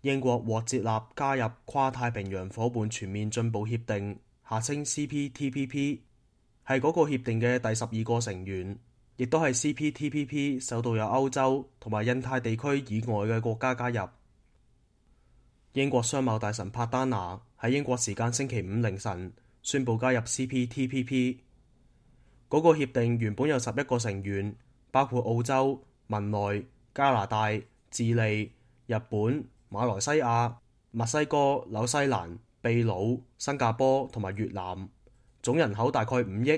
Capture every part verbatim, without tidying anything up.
英國獲接納加入跨太平洋夥伴全面進步協定，下稱 C P T P P， 係嗰個協定嘅第十二個成員，亦都係 C P T P P 首度有歐洲同埋印太地區以外嘅國家加入。英國商貿大臣帕丹拿喺英國時間星期五凌晨宣布加入 C P T P P。嗰個協定原本有十一個成員，包括澳洲、文萊、加拿大、智利、日本、馬來西亞、墨西哥、紐西蘭、秘魯、新加坡同埋越南，總人口大概五億，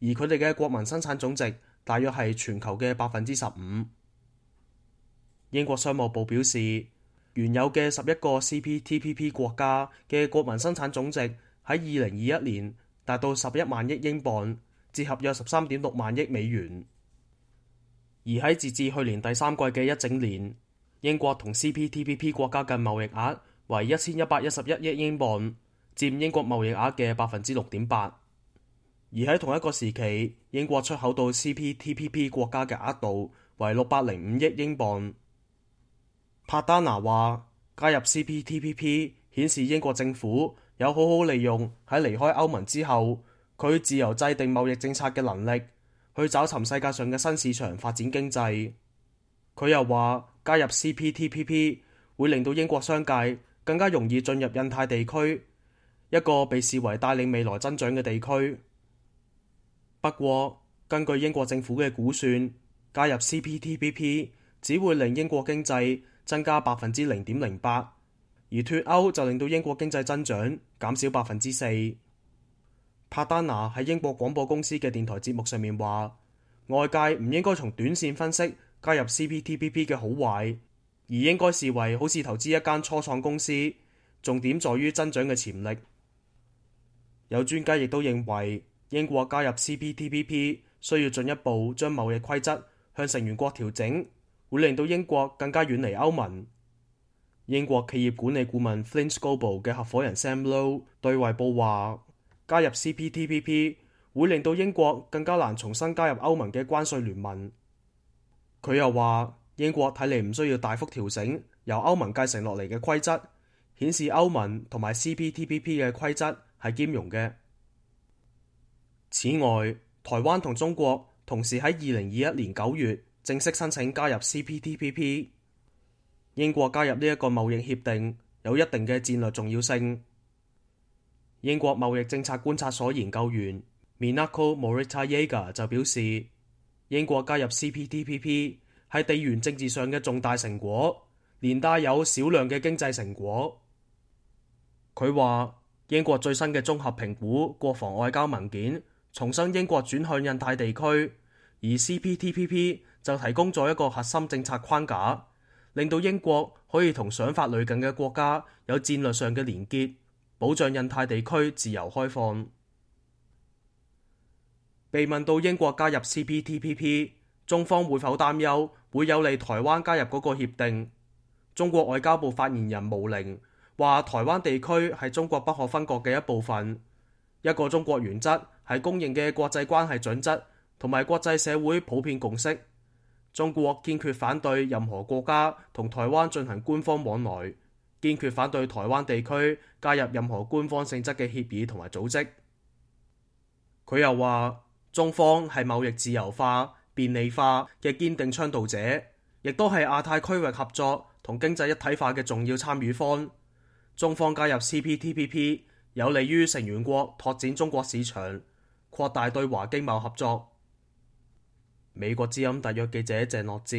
而佢哋嘅國民生產總值大約係全球嘅百分之十五。英國商務部表示，原有嘅十一個 C P T P P 國家嘅國民生產總值喺二零二一年達到十一萬億英鎊，折合約十三點六萬億美元。而喺截至去年第三季嘅一整年，英國同 C P T P P 國家嘅貿易額為一千一百一十一億英鎊，佔英國貿易額嘅百分之六點八。而喺同一個時期，英國出口到 C P T P P 國家嘅額度為六百零五億英鎊。帕丹拿話，加入 C P T P P 顯示英國政府有好好利用喺離開歐盟之後，佢自由制定貿易政策嘅能力，去找尋世界上嘅新市場發展經濟。佢又話，加入 C P T P P 會令到英國商界更加容易進入印太地區，一個被視為帶領未來增長嘅地區。不過，根據英國政府嘅估算，加入 C P T P P 只會令英國經濟增加百分之零點零八，而脫歐就令到英國經濟增長減少百分之四。帕丹拿喺英國廣播公司嘅電台節目上面話，外界唔應該從短線分析加入 C P T P P 嘅好壞，而應該視為好似投資一間初創公司，重點在於增長嘅潛力。有專家亦都認為，英國加入 C P T P P 需要進一步將貿易規則向成員國調整，會令到英國更加遠離歐盟。英國企業管理顧問 Flint Scoble 嘅合夥人 Sam Low 對衛報話，加入 C P T P P 會令到英國更加難重新加入歐盟嘅關稅聯盟。佢又話，英國睇嚟唔需要大幅調整由歐盟繼承落嚟嘅規則，顯示歐盟同埋 C P T P P 嘅規則係兼容嘅。此外，台灣同中國同時喺二零二一年九月正式申請加入 C P T P P。英國加入呢一個貿易協定有一定嘅戰略重要性。英國貿易政策觀察所研究員 Minako Morita-Yeager 就表示，英國加入 C P T P P 係地緣政治上嘅重大成果，連帶有少量嘅經濟成果。佢話，英國最新嘅綜合評估國防外交文件重申英國轉向印太地區，而 C P T P P 就提供咗一個核心政策框架，令到英國可以同想法類近嘅國家有戰略上嘅連結，保障印太地區自由開放。被問到英國加入 C P T P P， 中方會否擔憂會有利台灣加入嗰個協定，中國外交部發言人毛寧話，台灣地區係中國不可分割嘅一部分，一個中國原則係公認嘅國際關係準則同埋國際社會普遍共識。中國堅決反對任何國家同台灣進行官方往來，堅決反對台灣地區加入任何官方性質嘅協議同埋組織。佢又話，中方係貿易自由化、便利化嘅堅定倡導者，亦都係亞太區域合作同經濟一體化嘅重要參與方。中方加入 C P T P P 有利於成員國拓展中國市場，擴大對華經貿合作。美國之音特約記者鄭樂哲，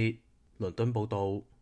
倫敦報道。